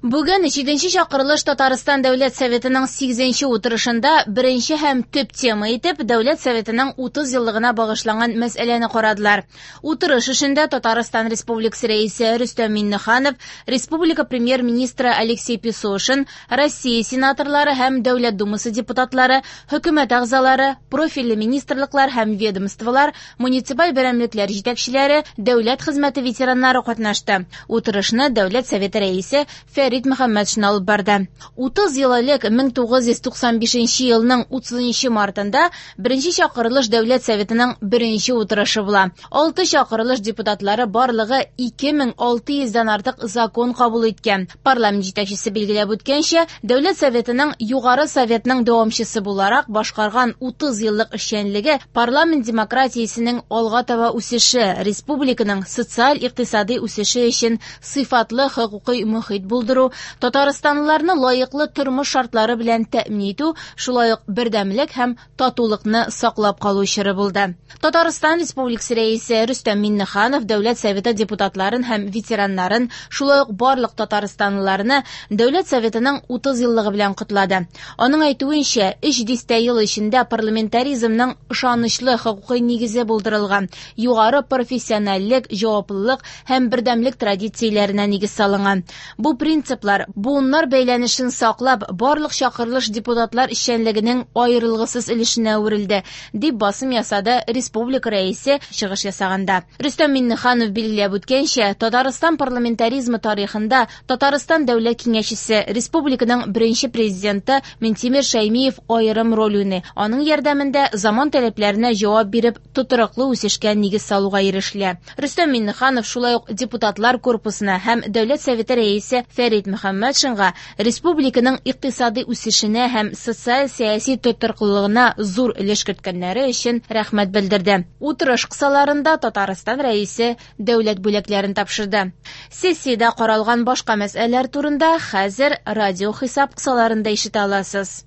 Бүген җиденче чакырылыш Татарстан Дәүләт Советының сигезенче утырышында беренче һәм төп тема итеп Дәүләт Советының 30 еллыгына багышланган мәсьәләне карадылар. Утырыш эшендә Татарстан Республикасы Рәисе Рөстәм Миңнеханов, республика Премьер-министры Алексей Песошин, Россия сенаторлары һәм Дәүләт Думасы депутатлары, хөкүмәт әгъзалары, профильле министрлыклар һәм ведомстволар, муниципаль берәмлекләр җитәкчеләре, дәүләт хезмәте ветераннары катнашты. Утырышны Дәүләт Советы Рәисе Фәрит Мөхәммәтшин алып барды. 30 ел элек 1995 елның 30 мартында беренче чакырылыш Дәүләт Советының беренче утырышы була. Алты чакырылыш депутатлары барлыгы 2600 дән артык закон кабул иткән. Парламент җитәкчесе билгеләп үткәнчә, Дәүләт Советының Югары Советның дәвамчысы буларак башкарган 30 еллык эшчәнлеге парламент демократиясенең алга таба үсеше, республиканың социаль-икътисади үсеше өчен сыйфатлы хокукый мохит булдыру, татарстанлыларны лаеклы тормыш шартлары белән тәэмин итү, шулай ук бердәмлек һәм татулыкны саклап калу чоры булды. Татарстан Республикасы Рәисе Рөстәм Миңнеханов Дәүләт Советы депутатларын һәм ветераннарын, шулай ук барлык татарстанлыларны Дәүләт Советының 30 еллыгы белән котлады. Аның әйтүенчә, өч дистә ел эчендә парламентаризмның ышанычлы хокукый нигезе булдырылган, югары профессиональлек, җаваплылык һәм бердәмлек традицияләренә нигез салынган. Бу принциплар буыннар бәйләнешен саклап, барлык чакырылыш депутатлар эшчәнлегенең аерылгысыз өлешенә әверелде, дип басым ясады республика Рәисе чыгыш ясаганда. Рөстәм Миңнеханов билгеләп үткәнчә, Татарстан парламентаризмы тарихында Татарстан Дәүләт Киңәшчесе, республиканың беренче президенты Минтимер Шәймиев аерым роль уйный. Аның ярдәмендә заман таләпләренә җавап биреп, тотрыклы үсешкә нигез салуга ирешелә. Рөстәм Миңнеханов шулай ук депутатлар корпусына һәм Дәүләт Советы Рәисе Фәрит Мөхәммәтшинга республиканың икътисади үсешенә һәм социаль-сәяси тотрыклылыгына зур өлеш керткәннәре өчен рәхмәт белдерде. Утырыш кысаларында Татарстан Рәисе дәүләт бүләкләрен тапшырды. Сессиядә каралган башка мәсьәләләр турында хәзер радиохисап кысаларында ишетә аласыз.